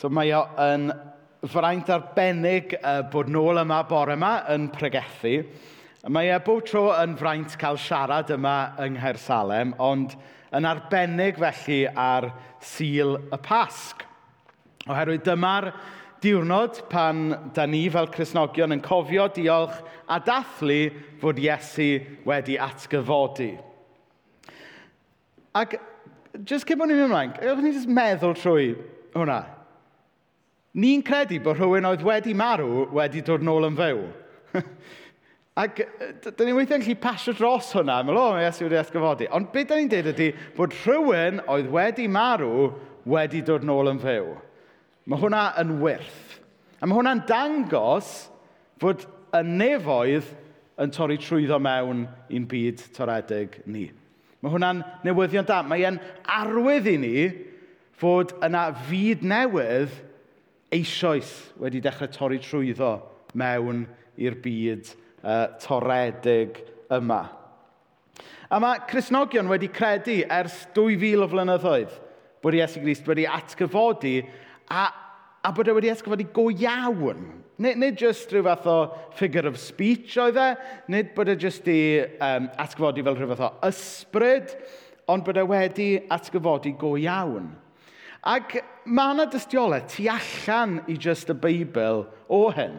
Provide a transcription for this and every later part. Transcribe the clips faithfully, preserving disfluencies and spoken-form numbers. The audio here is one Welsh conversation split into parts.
So mae o yn fraint arbennig uh, bod nôl yma bore yma yn pregethu. Mae e bob tro yn fraint cael siarad yma yng Nghaersalem, ond yn arbennig felly ar Sul y Pasg. Oherwydd dyma'r diwrnod pan da ni fel Cristnogion yn cofio diolch a dathlu fod Iesu wedi atgyfodi. Ac jyst cyn bod ni'n mynd ymlaen, gewch ni jyst meddwl trwy hwnna. Ni'n credu bod rhywun oedd wedi marw wedi dod nôl yn fyw. Ac dyn ni weithiau'n gallu pasio dros hwnna, meddwl, o, mae Iesu wedi atgyfodi. Ond beth da ni'n dweud ydy bod rhywun oedd wedi marw wedi dod nôl yn fyw. Mae hwnna yn wyrth. A mae hwnna'n dangos fod y nefoedd yn torri trwyddo mewn i'n byd toredig ni. Mae hwnna'n newyddion da. Mae e'n arwydd i ni fod yna fyd newydd eisoes wedi dechrau torri trwyddo mewn i'r byd uh, toredig yma. A mae Cristnogion wedi credu ers dwy fil o flynyddoedd bod Iesu Grist wedi atgyfodi a, a bod e wedi atgyfodi go iawn. Nid, nid jyst rhyw fath o figure of speech oedd e, nid bod e jyst i um, atgyfodi fel rhyw fath o ysbryd, ond bod e wedi atgyfodi go iawn. Ac mae yna dystiolaeth tu allan i jyst y Beibl o hyn.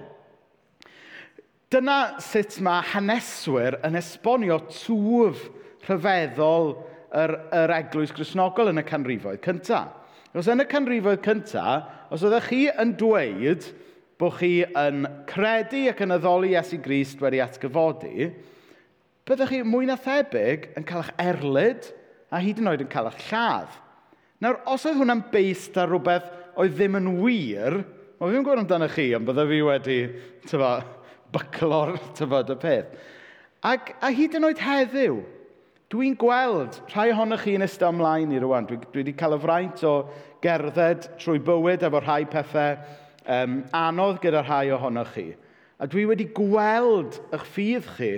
Dyna sut mae haneswyr yn esbonio twf rhyfeddol yr, yr eglwys Gristnogol yn y canrifoedd cyntaf. Os yn y canrifoedd cyntaf, os oeddech chi yn dweud bod chi yn credu ac yn addoli Iesu Grist wedi atgyfodi, byddech chi mwy na thebyg yn cael eich erlid a hyd yn oed yn cael eich lladd. Nawr, os oedd hwnna'n based ar rhywbeth oedd ddim yn wir, wel, fi ddim yn gwybod amdano chi, ond bydde fi wedi, tyfa, byclo'r, tyfod, y peth. Ac, a hyd yn oed heddiw, dwi'n gweld rhai ohonoch chi'n eistedd ymlaen i rwan. Dwi, dwi wedi cael y fraint o gerdded trwy bywyd efo rhai pethau um, anodd gyda rhai ohonoch chi. A dwi wedi gweld eich ffydd chi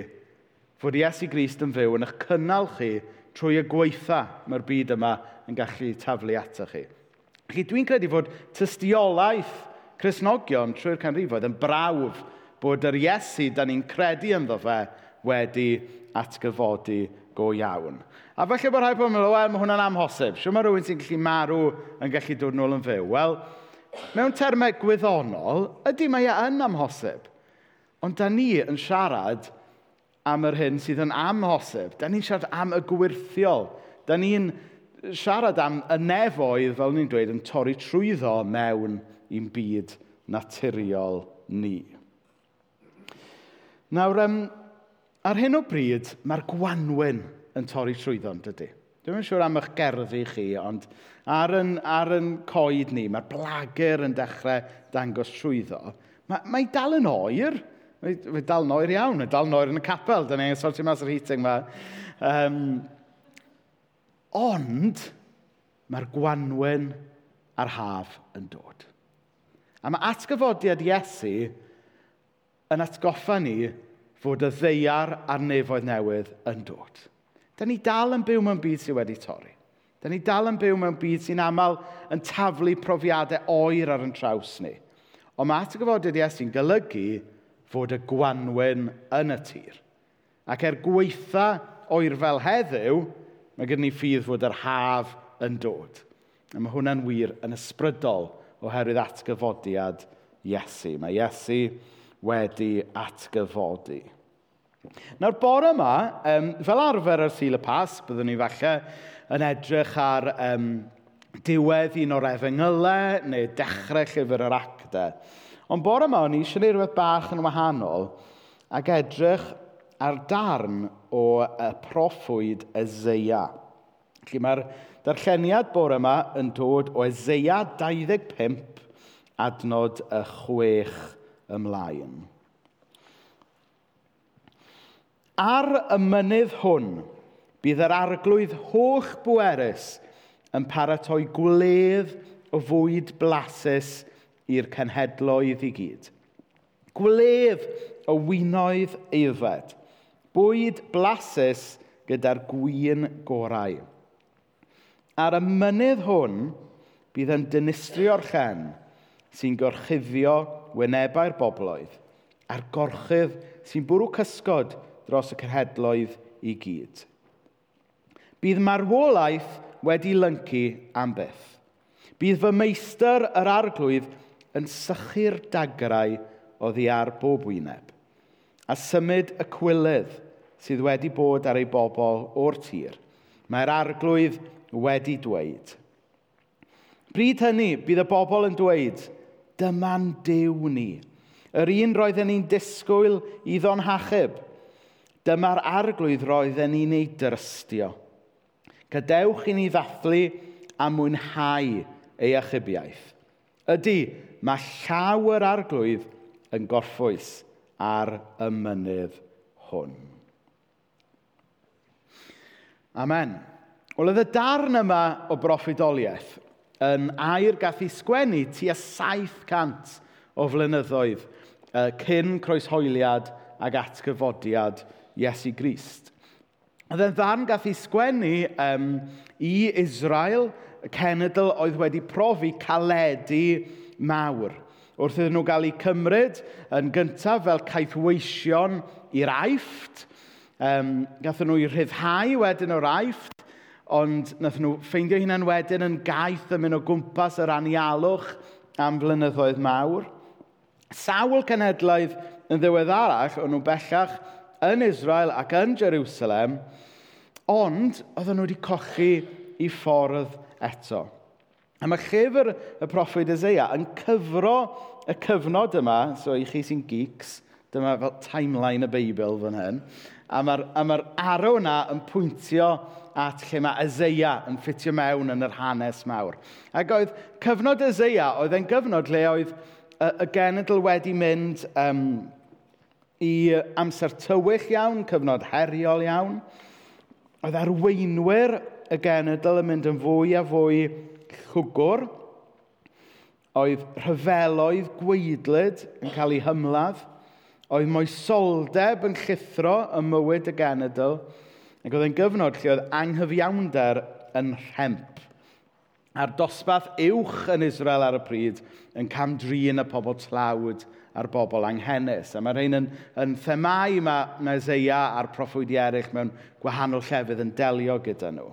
fod Iesu Grist yn fyw yn eich cynnal chi trwy y gweitha mae'r byd yma yn gallu taflu ato chi. Felly dwi'n credu fod tystiolaeth Cristnogion trwy'r canrifoedd yn brawf bod yr Iesu da ni'n credu ynddo fe wedi atgyfodi go iawn. A falle bod rhai pobl yn meddwl, wel, mae hwnna'n amhosib. Siwr mae rhywun sy'n gallu marw yn gallu dod nôl yn fyw? Wel, mewn termau gwyddonol, ydy mae e yn amhosib. Ond da ni yn siarad am yr hyn sydd yn amhosib. Da ni'n siarad am y gwyrthiol. Da ni'n siarad am y nefoedd, fel ni'n dweud, yn torri trwyddo mewn i'n byd naturiol ni. Nawr, um, ar hyn o bryd, mae'r gwanwyn yn torri trwyddo, yn dydy? Dwi'm yn siŵr am eich gerddi chi, ond ar yn, ar yn coed ni, mae'r blagur yn dechrau dangos trwyddo. Mae, mae dal yn oer. Mae, mae dal yn oer iawn. Mae dal yn oer yn y capel. Da ni'n sortio mas yr heating yma. Um, ond, mae'r gwanwyn a'r haf yn dod. A mae atgyfodiad Iesu yn atgoffa ni fod y ddaear a'r nefoedd newydd yn dod. Da ni dal yn byw mewn byd sydd wedi torri. Da ni dal yn byw mewn byd sy'n aml yn taflu profiadau oer ar yn traws ni. Ond mae atgyfodiad Iesu'n golygu fod y gwanwyn yn y tir. Ac er gweitha oer fel heddiw, mae gen ni ffydd fod yr haf yn dod. A mae hwnna'n wir yn ysbrydol oherwydd atgyfodiad Iesu. Mae Iesu wedi atgyfodi. Nawr, bore yma, um, fel arfer ar Sul y Pasg, byddwn ni falle yn edrych ar um, diwedd un o'r efengylau neu dechrau llyfr yr actau. Ond bore yma, o'n i eisiau gwneud rhywbeth bach yn wahanol ac edrych ar darn o y proffwyd Eseia. Felly mae'r darlleniad bore yma yn dod o Eseia dau ddeg pump, adnod y chwech ymlaen. Ar y mynydd hwn, bydd yr arglwydd holl bwerus yn paratoi gwledd o fwyd blasus i'r cenhedloedd i gyd. Gwledd o winoedd aeddfed, bwyd blasus gyda'r gwin gorau. Ar y mynydd hwn, bydd yn dinistrio'r llen sy'n gorchuddio wynebau'r bobloedd, a'r gorchudd sy'n bwrw cysgod dros y cenhedloedd i gyd. Bydd marwolaeth wedi lyncu am byth. Bydd fy meistr yr arglwydd yn sychu'r dagrau oddi ar bob wyneb, a symud y cwilydd sydd wedi bod ar ei bobl o'r tir. Mae'r arglwydd wedi dweud. Bryd hynny, bydd y bobl yn dweud, dyma'n Duw ni, yr un roedden ni'n disgwyl iddo'n hachub. Dyma'r arglwydd roedden ni'n ei drystio. Gadewch i ni ddathlu a mwynhau ei achubiaeth. Ydy, mae llaw yr arglwydd yn gorffwys ar y mynydd hwn. Amen. Wel, oedd y darn yma o broffwydoliaeth yn air gath ei sgwennu tua saith cant o flynyddoedd cyn croeshoeliad ac atgyfodiad Iesu Grist. Oedd e'n ddarn gath ei sgwennu um, i Israel, y cenedl oedd wedi profi caledi mawr. Wrth iddyn nhw gael eu cymryd yn gyntaf fel caethweision i'r Aifft, um, gathon nhw eu rhyddhau wedyn o'r Aifft, ond nathon nhw ffeindio hunain wedyn yn gaeth yn mynd o gwmpas yr anialwch am flynyddoedd mawr. Sawl cenhedlaeth yn ddiweddarach, o'n nhw bellach yn Israel ac yn Jerusalem, ond oedden nhw wedi cochi i ffordd eto. A mae llyfr y proffwyd Eseia yn cyfro y cyfnod yma, so i chi sy'n geeks, dyma fel timeline y Beibl fan hyn, a mae'r ma arrow yna yn pwyntio at lle mae Eseia yn ffitio mewn yn yr hanes mawr. Ac oedd cyfnod Eseia, oedd e'n gyfnod lle oedd y, y genedl wedi mynd um, i amser tywyll iawn, cyfnod heriol iawn. Oedd arweinwyr y genedl yn mynd yn fwy a fwy llwgwr. Oedd rhyfeloedd gwaedlyd yn cael eu hymladd. Oedd moesoldeb yn llithro ym mywyd y genedl. Ac oedd e'n gyfnod lle oedd anghyfiawnder yn rhemp. A'r dosbarth uwch yn Israel ar y pryd yn camdrin y pobl tlawd a'r bobl anghenus. A mae rhain yn, yn themau mae Eseia a'r proffwydi eraill mewn gwahanol llefydd yn delio gyda nhw.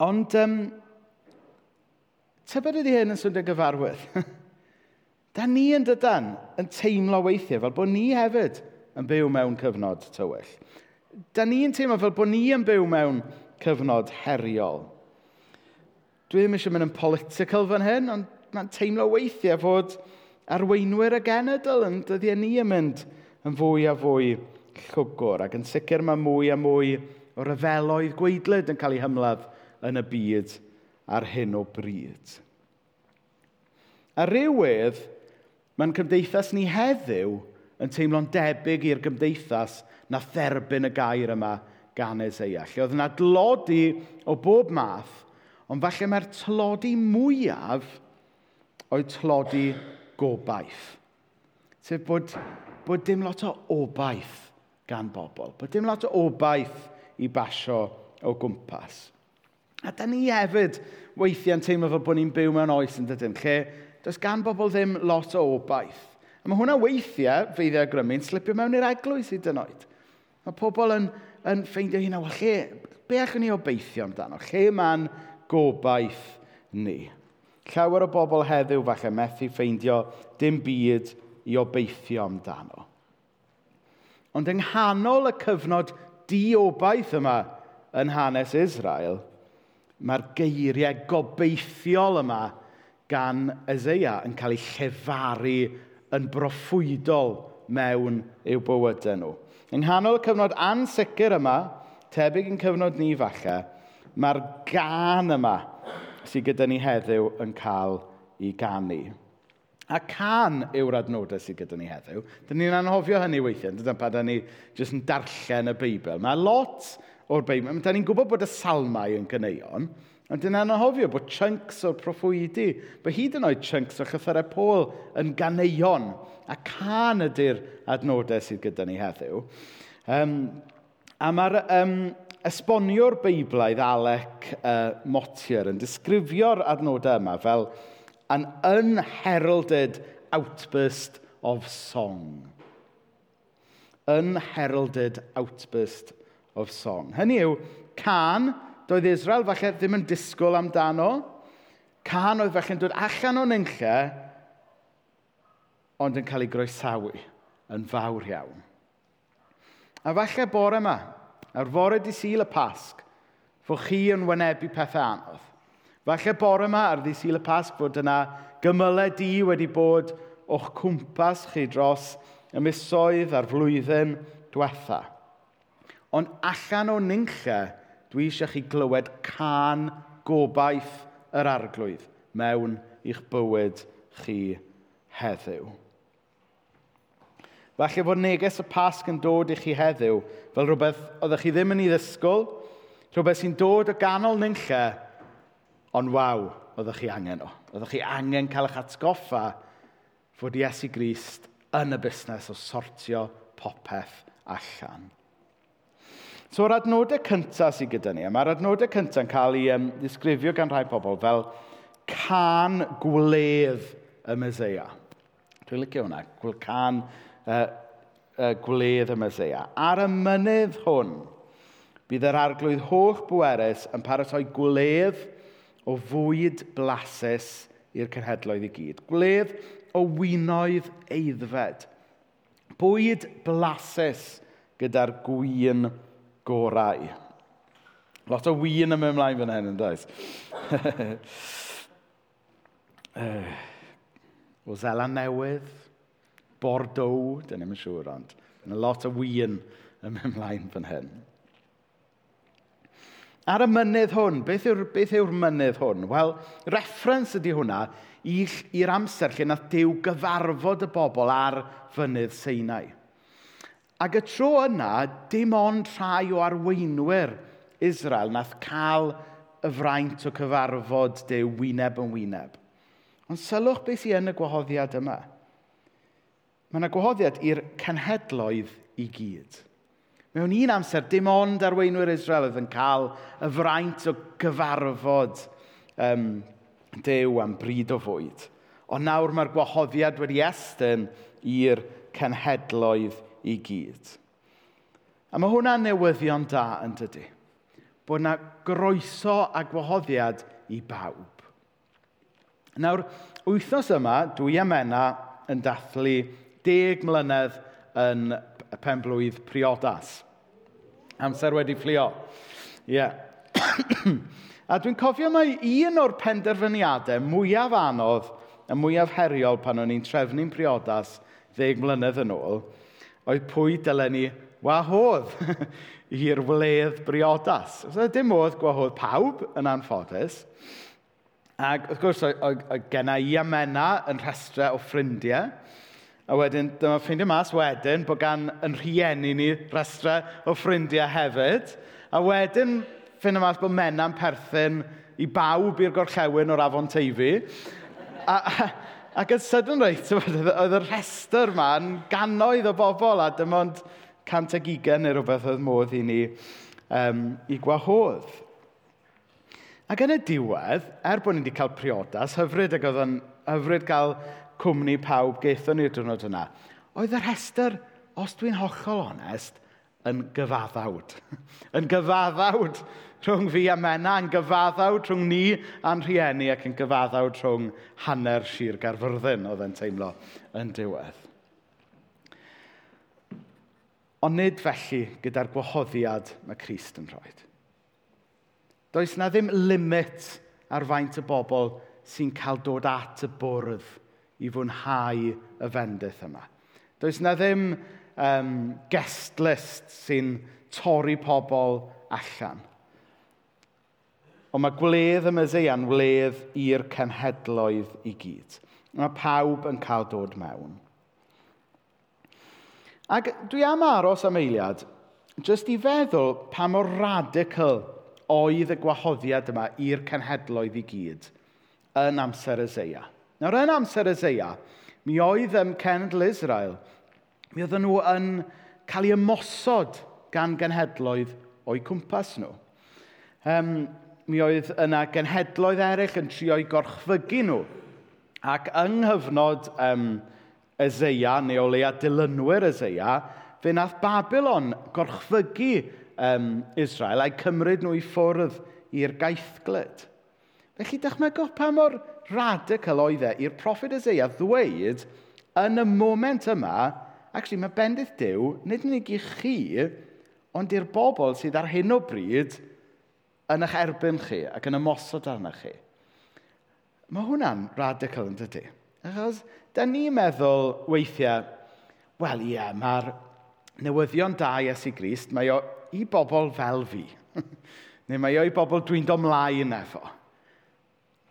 Ond um, tybed ydy hyn yn swnio gyfarwydd? Da ni yn dydan yn teimlo weithiau fel bod ni hefyd yn byw mewn cyfnod tywyll. Da ni'n teimlo fel bod ni yn byw mewn cyfnod heriol. Dwi ddim eisiau mynd yn political fan hyn, ond mae'n teimlo weithiau fod arweinwyr y genedl yn dyddiau ni yn mynd yn fwy a fwy llwgwr. Ac yn sicr mae mwy a mwy o ryfeloedd gwaedlyd yn cael eu hymladd yn y byd ar hyn o bryd. A rywedd, mae'n cymdeithas ni heddiw yn teimlo'n debyg i'r gymdeithas na dderbyn y gair yma gan Eseia. Lle oedd yna dlodi o bob math, ond falle mae'r tlodi mwyaf oedd tlodi gobaith. Sef bod, bod dim lot o obaith gan bobl. Bod dim lot o obaith i basio o gwmpas. A da ni hefyd weithiau'n teimlo fel bod ni'n byw mewn oes yn dydyn, lle does gan bobl ddim lot o obaith. A mae hwnna weithiau, feiddiau grymu'n slipio mewn i'r eglwys hyd yn oed. Mae pobl yn, yn ffeindio hynna, wel, lle, be allwn ni obeithio amdano? Lle mae'n gobaith ni? Llawer o bobl heddiw falle methu ffeindio dim byd i obeithio amdano. Ond yng nghanol y cyfnod diobaith yma yn hanes Israel, mae'r geiriau gobeithiol yma gan Eseia yn cael eu llefaru yn broffwydol mewn i'w bywydau nhw. Yng nghanol y cyfnod ansicr yma, tebyg yn cyfnod ni falle, mae'r gân yma sydd gyda ni heddiw yn cael ei ganu. A cân yw'r adnodau sydd gyda ni heddiw. Dyn ni'n anghofio hynny weithiau, dyna pan da ni jyst yn darllen y Beibl. Mae lot o'r Beibl, da ni'n gwybod bod y salmau yn ganeuon, ond dyn ni'n anghofio bod chunks o'r proffwydi, bod hyd yn oed chunks o llythyrau Paul yn ganeuon. A cân ydy'r adnodau sydd gyda ni heddiw. Um, a mae'r um, esboniwr Beiblaidd Alec uh, Motyer yn disgrifio'r adnodau yma fel an unheralded outburst of song. Unheralded outburst of song. Hynny yw, cân, doedd Israel falle ddim yn disgwyl amdano. Cân oedd falle'n dod allan o nunlle, ond yn cael ei groesawu yn fawr iawn. A falle bore yma, ar fore dydd Sul y Pasg, fod chi yn wynebu pethau anodd. Falle bore yma ar ddydd Sul y Pasg fod yna gymylau du wedi bod o'ch cwmpas chi dros y misoedd a'r flwyddyn diwetha. Ond allan o nunlle, dwi eisiau chi glywed cân gobaith yr Arglwydd mewn i'ch bywyd chi heddiw. Falle fod neges y Pasg yn dod i chi heddiw fel rhywbeth oeddech chi ddim yn ei ddisgwyl, rhywbeth sy'n dod o ganol nunlle, ond waw, oeddech chi angen o. Oeddech chi angen cael eich atgoffa fod Iesu Grist yn y busnes o sortio popeth allan. So, yr adnodau cyntaf sydd gyda ni, a mae'r adnodau cyntaf yn cael ei um, ddisgrifio gan rhai pobl fel cân gwledd y Meseia. Dwi'n licio hwnna, cân uh, uh, gwledd y Meseia. Ar y mynydd hwn, bydd yr Arglwydd holl bwerus yn paratoi gwledd o fwyd blasus i'r cenhedloedd i gyd. Gwledd o winoedd aeddfed. Bwyd blasus gyda'r gwin gorau. Lot o win yn mynd ymlaen fan hyn, yn does? O Seland Newydd, Bordeaux, dyn ni'm yn siŵr, ond yna lot o win yn mynd ymlaen fan hyn. Ar y mynydd hwn, beth yw'r, beth yw'r mynydd hwn? Wel, reference ydy hwnna i'r amser lle nath Duw gyfarfod y bobl ar fynydd Sinai. Ac y tro yna, dim ond rhai o arweinwyr Israel nath cael y fraint o cyfarfod Duw wyneb yn wyneb. Ond sylwch beth sydd yn y gwahoddiad yma. Mae yna gwahoddiad i'r cenhedloedd i gyd. Mewn un amser, dim ond arweinwyr Israel oedd yn cael y fraint o gyfarfod um, Duw am bryd o fwyd. Ond nawr mae'r gwahoddiad wedi estyn i'r cenhedloedd i gyd. A mae hwnna'n newyddion da, yn dydy. Bod yna groeso a gwahoddiad i bawb. Nawr, wythnos yma, dwi a Menna yn dathlu deg mlynedd yn y penblwydd priodas. Amser wedi fflio. Ie. Yeah. A dwi'n cofio mai un o'r penderfyniadau mwyaf anodd a mwyaf heriol pan o'n i'n trefnu'n priodas ddeg mlynedd yn ôl, oedd pwy dylen ni wahodd i'r wledd briodas. So, dim modd gwahodd pawb yn anffodus. Ac wrth gwrs, oedd genna i a Menna yn rhestrau o ffrindiau. A wedyn, dyma ffeindio mas wedyn bod gan yn rhieni ni rhestrau o ffrindiau hefyd. A wedyn, ffeindio mas bod Menna'n perthyn i bawb i'r gorllewin o'r Afon Teifi. A, a, ac yn sydyn reit, oedd y rhestr yma yn gannoedd o bobl a dim ond cant ag ugain neu rhywbeth oedd modd i ni um, i gwahodd. Ac yn y diwedd, er bod ni wedi cael priodas, hyfryd ac oedd yn hyfryd cael cwmni pawb gaethon ni'r diwrnod yna, oedd y rhestr, os dwi'n hollol onest, yn gyfaddawd. Yn gyfaddawd rhwng fi a Menna, yn gyfaddawd rhwng ni a'n rhieni ac yn gyfaddawd rhwng hanner Sir Gaerfyrddin, oedd e'n teimlo yn diwedd. Ond nid felly gyda'r gwahoddiad mae Crist yn rhoi. Does na ddim limit ar faint y bobl sy'n cael dod at y bwrdd i fwynhau y fendith yma. Does na ddim um, guest list sy'n torri pobl allan. Ond mae gwledd y Meseia'n wledd i'r cenhedloedd i gyd. Mae pawb yn cael dod mewn. Ac dwi am aros am eiliad, jyst i feddwl pa mor radical oedd y gwahoddiad yma i'r cenhedloedd i gyd yn amser Eseia. Nawr, yn amser Eseia, mi oedd um, cenedl Israel, mi oedden nhw yn cael eu ymosod gan genhedloedd o'u cwmpas nhw. Um, mi oedd yna genhedloedd eraill yn trio eu gorchfygu nhw. Ac yng nghyfnod um, Eseia, neu o leia dilynwyr Eseia, fe nath Babylon gorchfygu um, Israel a'i cymryd nhw i ffwrdd i'r gaethglud. Felly dychmygwch pa mor radical oedd e i'r proffwyd Eseia ddweud yn y moment yma, actually mae bendith Duw, nid yn unig i chi, ond i'r bobl sydd ar hyn o bryd yn eich erbyn chi ac yn ymosod arnoch chi. Mae hwnna'n radical, yn dydy? Achos, da ni'n meddwl weithiau, wel ie, mae'r newyddion da Iesu Grist, mae o i bobl fel fi. Neu mae o i bobl dwi'n dod mlaen efo.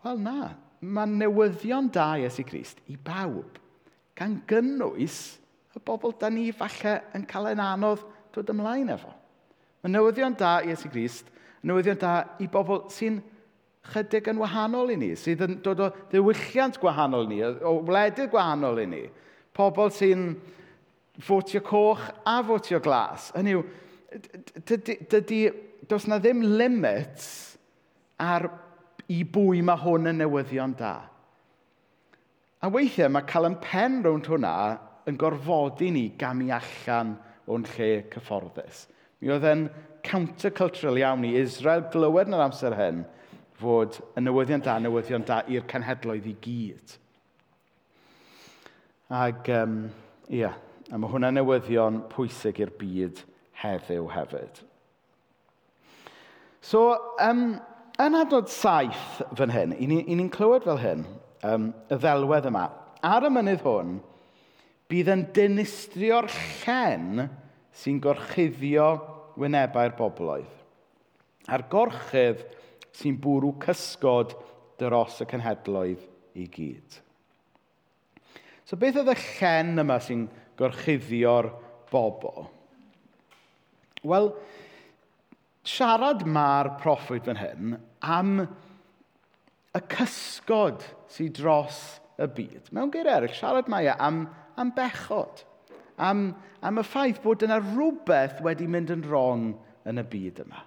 Wel na, mae newyddion da Iesu Grist i bawb, gan gynnwys y bobl da ni falle yn cael yn anodd dod ymlaen efo. Mae newyddion da Iesu Grist, newyddion da i bobl sy'n chydig yn wahanol i ni, sydd yn dod o ddiwylliant gwahanol i ni, o wledydd gwahanol i ni. Pobl sy'n fotio coch a fotio glas. Hynny yw, dydy, dydy, does na ddim limits ar i bwy mae hwn yn newyddion da. A weithiau mae cael yn pen rownd hwnna yn gorfodi ni gamu allan o'n lle cyfforddus. Mi oedd e'n countercultural iawn i Israel glywed yn yr amser hyn fod y newyddion da, newyddion da i'r cenhedloedd i gyd. Ac, um, ia, a mae hwnna'n newyddion pwysig i'r byd heddiw hefyd. So, um, yn adnod saith fan hyn, i ni'n ni clywed fel hyn, um, y ddelwedd yma. Ar y mynydd hwn, bydd yn dinistrio'r llen sy'n gorchuddio wynebau'r bobloedd. A'r gorchudd sy'n bwrw cysgod dros y cenhedloedd i gyd. So beth oedd y llen yma sy'n gorchuddio'r bobl? Wel, siarad mae'r proffwyd fan hyn am y cysgod sydd dros y byd. Mewn geiriau eraill, siarad mae e am, am bechod. Am, am y ffaith bod yna rhywbeth wedi mynd yn wrong yn y byd yma.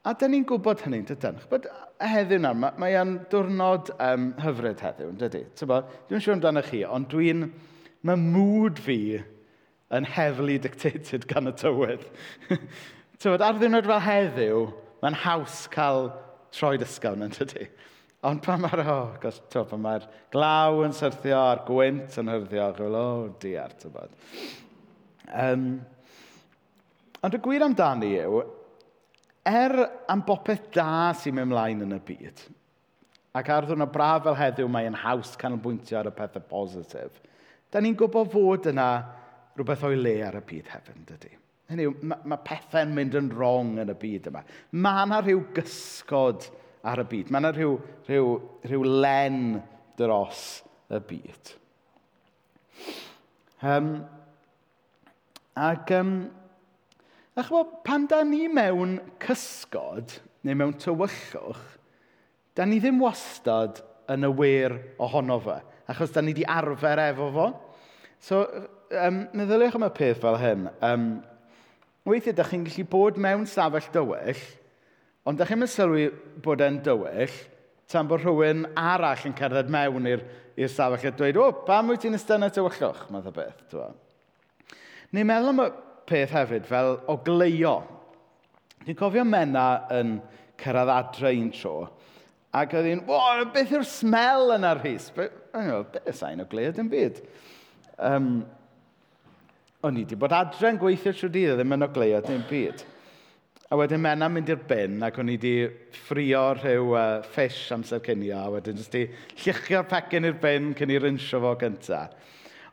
A dyn ni'n gwybod hynny, dydyn? Ch'bod, heddiw nawr, mae, mae e'n diwrnod um, hyfryd heddiw, yn dydy? T'bo, dwi'n siŵr amdano chi, ond dwi'n... Mae mood fi yn heavily dictated gan y tywydd. T'bod, ar ddiwrnod fel heddiw, mae'n haws cael troed ysgafn, yn dydy? Ond pan mae'r, oh, gosh, t'bo, pan mae'r glaw yn syrthio a'r gwynt yn hyrddio, chi'n fel, oh diar, t'bod. Um, ond y gwir amdani yw, er am bopeth da sy'n mynd ymlaen yn y byd, ac ar ddwrnod braf fel heddiw mae'n haws canolbwyntio ar y pethau positif, da ni'n gwybod fod yna rhywbeth o'i le ar y byd hefyd, yn dydy? Hynny yw, mae, mae pethau'n mynd yn wrong yn y byd yma. Mae yna rhyw gysgod ar y byd. Mae yna rhyw, rhyw, rhyw len dros y byd. Um, ac, um, a ch'bo, pan da ni mewn cysgod, neu mewn tywyllwch, da ni ddim wastad yn aware ohono fe, achos da ni di arfer efo fo. So, um, meddyliwch am y peth fel hyn. Um, weithiau, da chi'n gallu bod mewn stafell dywyll, ond da chi'n mynd sylwi bod e'n dywyll, tan bod rhywun arall yn cerdded mewn i'r i'r stafell a dweud, o, pam wyt ti'n eistedd yn y tywyllwch, math o beth, t'bo. Neu meddwl am y peth hefyd fel ogleuo. Dwi'n cofio Mena yn cyrraedd adre un tro, ac oedd hi'n, o, beth yw'r smell yna, Rhys? Be, o'n i'n meddwl, be, sa'n ogleuo dim byd. Um, o'n i wedi bod adre yn gweithio trwy dydd, ddim yn ogleuo dim byd. A wedyn Mena'n mynd i'r bin, ac o'n i wedi ffrio rhyw uh, fish amser cinio, a wedyn jyst i lluchio'r pecyn i'r bin cyn i rinsio fo gynta.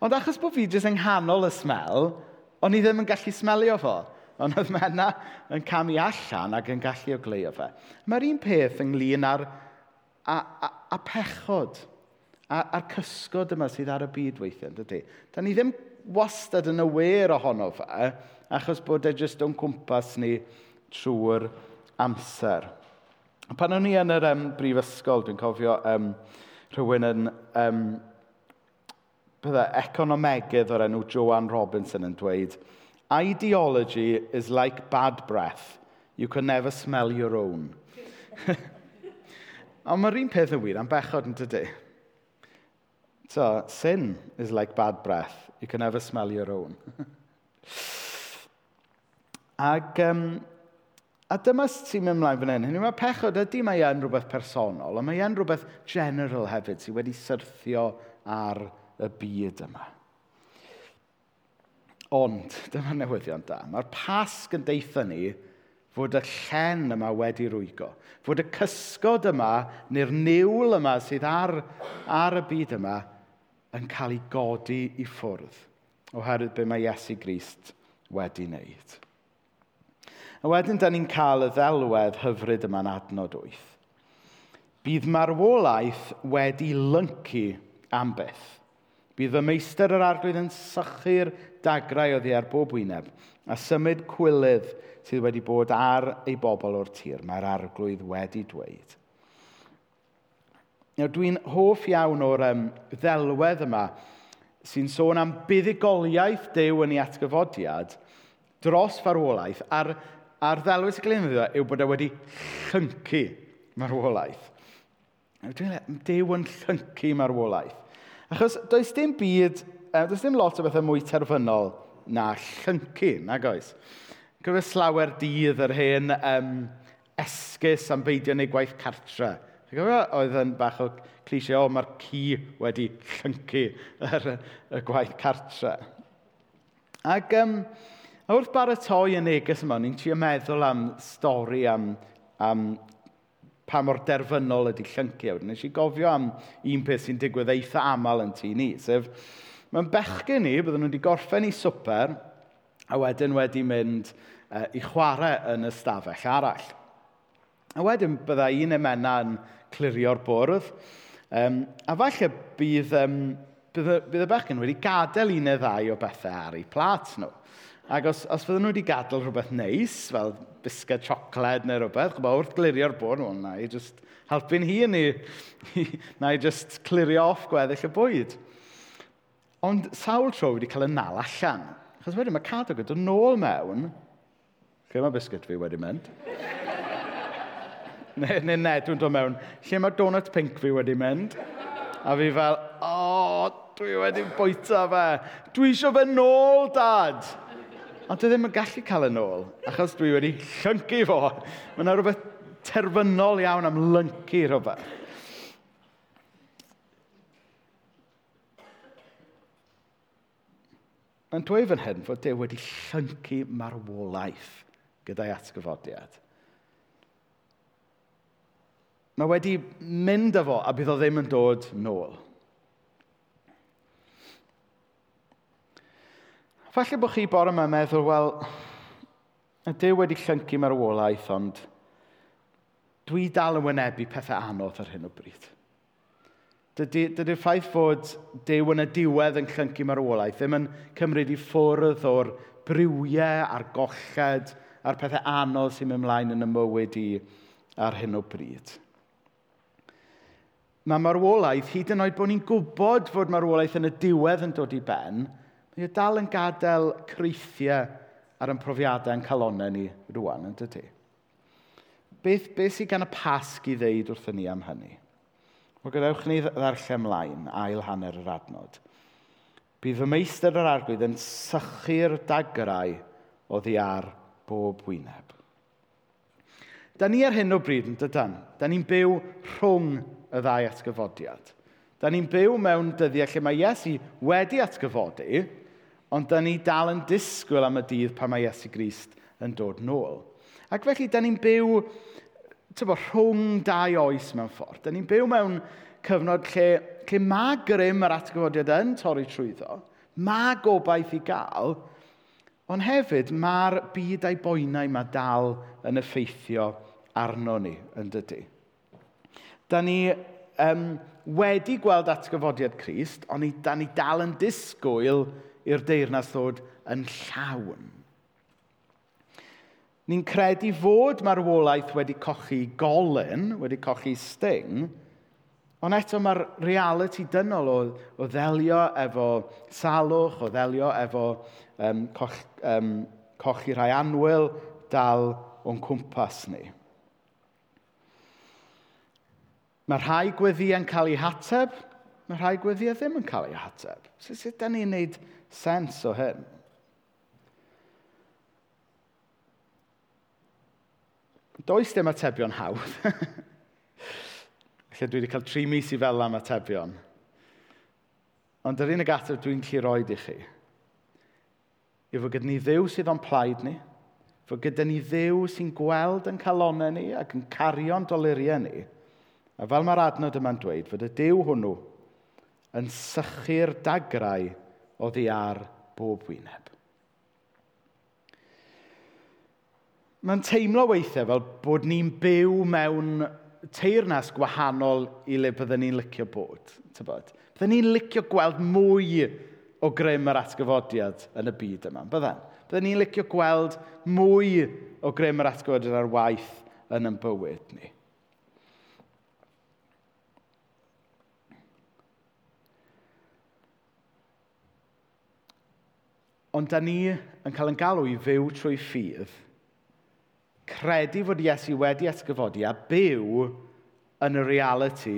Ond achos bod fi jyst yng nghanol y smell, o'n i ddim yn gallu smelio fo. Ond oedd Mena yn camu allan ac yn gallu ogleuo fe. Mae'r un peth ynglyn â'r a, a, a pechod, a, a'r cysgod yma sydd ar y byd weithiau, yn dydy? Da ni ddim wastad yn aware ohono fe, achos bod e jyst o'n cwmpas ni trwy'r amser. Pan o'n i yn yr um, brifysgol, dwi'n cofio um, rhywun yn um, bydde, economegydd o'r enw Joanne Robinson yn dweud, ideology is like bad breath. You can never smell your own. Ond mae'r un peth yn wir am bechod, yn dydy? So, sin is like bad breath. You can never smell your own. Ac, um, a dyma sy'n mynd ymlaen fan hyn. Hynny mae pechod ydy mae yn rhywbeth personol, ond mae yn rhywbeth general hefyd sydd wedi syrthio ar y byd yma. Ond, dyma'r newyddion da. Mae'r Pasg yn deutha ni fod y llen yma wedi rwygo. Fod y cysgod yma, neu'r niwl yma sydd ar, ar y byd yma, yn cael ei godi i ffwrdd oherwydd be mae Iesu Grist wedi wneud. A wedyn, da ni'n cael y ddelwedd hyfryd yma'n adnod wyth. Bydd marwolaeth wedi lyncu am byth. Bydd y meistr yr arglwydd yn sychu'r dagrau oddi ar bob wyneb a symud cwilydd sydd wedi bod ar ei bobl o'r tir. Mae'r arglwydd wedi dweud. Nawr, dwi'n hoff iawn o'r um, ddelwedd yma sy'n sôn am buddugoliaeth Duw yn ei atgyfodiad dros farwolaeth, a'r, a'r ddelwedd sy'n cael ei ddefnyddio yw bod e wedi llyncu marwolaeth. Dwi'n Duw yn llyncu marwolaeth. Achos does dim byd, does dim lot o bethau mwy terfynol na llyncu, nag oes? Cofio slawer dydd yr hen um, esgus am beidio wneud gwaith cartre. Chi'n cofio oedd yn bach o cliché, o, mae'r ci wedi llyncu yr, y gwaith cartre. Ac um, a wrth baratoi y neges yma, ni'n trio meddwl am stori am, am pa mor derfynol ydy llyncu. A wedyn nes i gofio am un peth sy'n digwydd eitha aml yn tŷ ni, sef mae'n bechgyn ni, bydden nhw wedi gorffen i swper, a wedyn wedi mynd uh, i chwarae yn y stafell arall. A wedyn byddai un emena yn clirio'r bwrdd, um, a falle bydd, um, bydd, y, bydd y bechgyn wedi gadael un neu ddau o bethau ar eu plât nhw. Ac os, os fydden nhw wedi gadael rhywbeth neis, fel bisged siocled neu rhywbeth, ch'bo, wrth glirio'r bwrdd, wel, na i just helpu'n hun i, na i just clirio off gweddill y bwyd. Ond sawl tro wedi cael y nal allan. Achos wedyn mae Cadog yn dod nôl mewn, lle mae biscuit fi wedi mynd? neu, neu Ned yn dod mewn, lle mae donut pink fi wedi mynd? A fi fel, o, oh, dwi wedi bwyta fe. Dwi eisiau fe nôl, dad. Ond dwi ddim yn gallu cael y nôl, achos dwi wedi llyncu fo. Mae yna rhywbeth terfynol iawn am lyncu rhywbeth. Mae'n dweud fan hyn fod Duw wedi llyncu marwolaeth gyda'i atgyfodiad. Mae wedi mynd â fo a bydd o ddim yn dod nôl. Falle bod chi bore yma'n meddwl, wel, y Duw wedi llyncu marwolaeth, ond dwi dal yn wynebu pethau anodd ar hyn o bryd. Dydy, dydy'r ffaith fod Duw yn y diwedd yn llyncu marwolaeth ddim yn cymryd i ffwrdd o'r briwiau a'r golled a'r pethau anodd sy'n mynd ymlaen yn y mywyd i ar hyn o bryd. Mae marwolaeth, hyd yn oed bod ni'n gwybod fod marwolaeth yn y diwedd yn dod i ben, mae o dal yn gadael creithiau ar ein profiadau yn calonnau ni rwan, yn dydy? Beth, beth sydd gan y Pasg i ddeud wrthyn ni am hynny? Wel, gadewch ni ddarllen ymlaen, ail hanner yr adnod. Bydd fy meistr yr arglwydd yn sychu'r dagrau oddi ar bob wyneb. Da ni ar hyn o bryd yn dydan. Da ni'n byw rhwng y ddau atgyfodiad. Da ni'n byw mewn dyddiau lle mae Iesu wedi atgyfodi, ond da ni dal yn disgwyl am y dydd pan mae Iesu Grist yn dod nôl. Ac felly, da ni'n byw tybo, rhwng dau oes mewn ffordd. Da ni'n byw mewn cyfnod lle, lle mae grym yr atgyfodiad yn torri trwyddo, mae gobaith i gael, ond hefyd mae'r byd a'i boenau mae dal yn effeithio arno ni, yn dydy. Da ni um, wedi gweld atgyfodiad Crist, ond ni, da ni dal yn disgwyl i'r deyrnas ddod yn llawn. Ni'n credu fod marwolaeth wedi cochi golyn, wedi cochi sting, ond eto mae'r realiti dynol o, o ddelio efo salwch, o ddelio efo um, coch, um, cochi rhai annwyl dal o'n cwmpas ni. Mae rhai gweddïau'n cael eu hateb, mae rhai gweddïau ddim yn cael eu hateb. So, sut da ni'n neud sens o hyn? Does dim atebion hawdd. Felly dwi wedi cael tri mis i fel am atebion. Ond yr unig ateb dwi'n gallu roed i chi yw fod gyda ni Dduw sydd o'n plaid ni, fod gyda ni Dduw sy'n gweld yn calonau ni ac yn cario'n doluriau ni, a fel mae'r adnod yma'n dweud, fod y Duw hwnnw yn sychu'r dagrau oddi ar bob wyneb. Mae'n teimlo weithiau fel bod ni'n byw mewn teyrnas gwahanol i le byddwn ni'n licio bod. Tybod? Byddwn ni'n licio gweld mwy o grym yr atgyfodiad yn y byd yma. Bydden? Byddwn ni'n licio gweld mwy o grym yr atgyfodiad ar waith yn ein bywyd ni. Ond da ni yn cael ein galw i fyw trwy ffydd, credu fod Iesu wedi atgyfodi a byw yn y realiti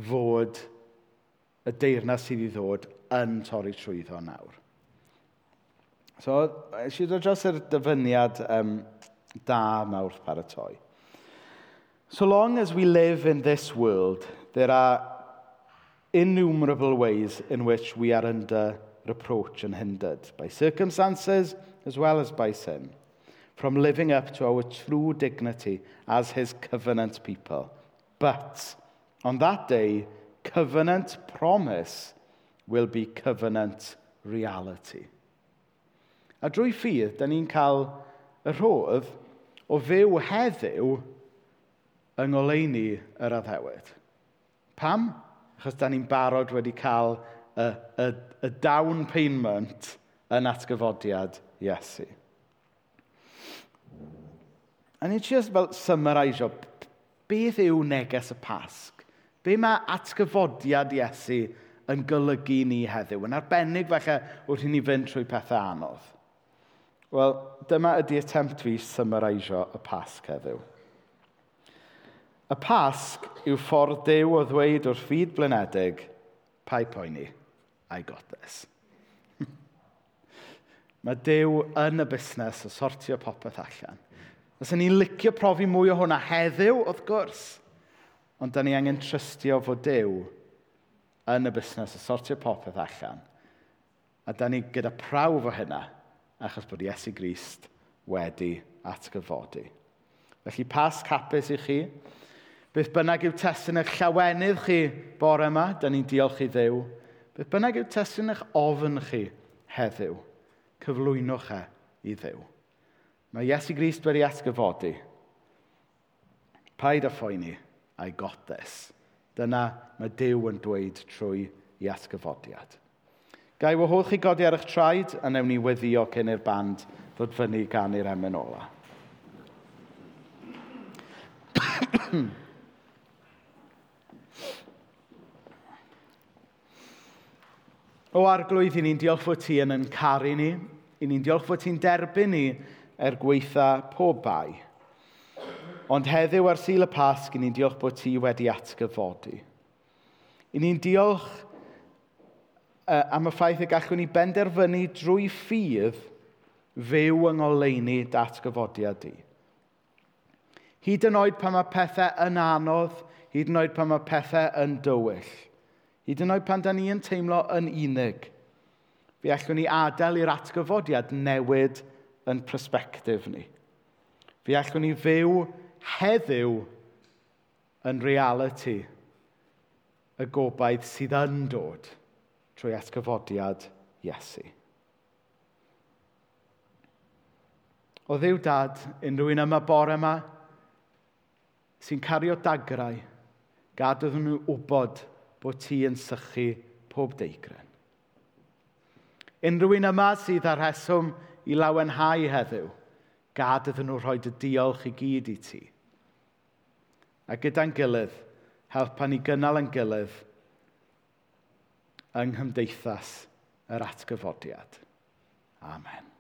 fod y deyrnas sydd i ddod yn torri trwyddo nawr. So, eisiau dod dros yr dyfyniad um, da yma wrth paratoi. So long as we live in this world, there are innumerable ways in which we are under reproach and hindered by circumstances as well as by sin, from living up to our true dignity as his covenant people. But on that day, covenant promise will be covenant reality. A drwy ffydd, da ni'n cael y rhodd o fyw heddiw yng ngoleuni yr addewid. Pam? Achos da ni'n barod wedi cael y, y, y down payment yn atgyfodiad Iesu. A ni'n just fel summarisio, beth yw neges y Pasg? Be mae atgyfodiad Iesu yn golygu ni heddiw? Yn arbennig falle wrth i ni fynd trwy pethau anodd. Wel, dyma ydy attempt fi summarisio y Pasg heddiw. Y Pasg yw ffordd Duw o ddweud wrth fyd blinedig, paid poeni, I got this. Mae Duw yn y busnes o sortio popeth allan. Fysen ni'n licio profi mwy o hwnna heddiw, wrth gwrs. Ond da ni angen trystio fod Duw yn y busnes o sortio popeth allan. A da ni gyda prawf o hynna, achos bod Iesu Grist wedi atgyfodi. Felly Pasg hapus i chi. Beth bynnag yw testun eich llawenydd chi bore yma, da ni'n diolch i Dduw. Beth bynnag yw testun eich ofn chi heddiw, cyflwynwch e i Dduw. Mae Iesu Grist wedi atgyfodi. Paid â phoeni, I got this. Dyna mae Duw yn dweud trwy i atgyfodiad. Ga i wahodd chi godi ar eich traed a newn ni weddio cyn i'r band ddod fyny gan i'r emyn ola. O Arglwydd, i ni'n diolch fod ti yn yn caru ni. I ni'n diolch fod ti'n derbyn ni er gweitha pob bai. Ond heddiw ar Sul y Pasg, i ni'n diolch bod ti wedi atgyfodi. I ni'n diolch uh, am y ffaith y gallwn ni benderfynu drwy ffydd fyw yng ngoleuni datgyfodiad di. Hyd yn oed pan mae pethau yn anodd, hyd yn oed pan mae pethau yn dywyll, hyd yn oed pan da ni yn teimlo yn unig, fe allwn ni adael i'r atgyfodiad newid yn persbectif ni. Fe allwn ni fyw heddiw yn realiti y gobaith sydd yn dod trwy atgyfodiad Iesu. O Dduw Dad, unrhyw un yma bore yma sy'n cario dagrau, gad iddyn nhw wybod bod ti yn sychu pob deigryn. Unrhyw un yma sydd â rheswm i lawenhau heddiw, gad iddyn nhw rhoi dy diolch i gyd i ti. A gyda'n gilydd, helpa ni gynnal yn gilydd yng nghymdeithas yr atgyfodiad. Amen.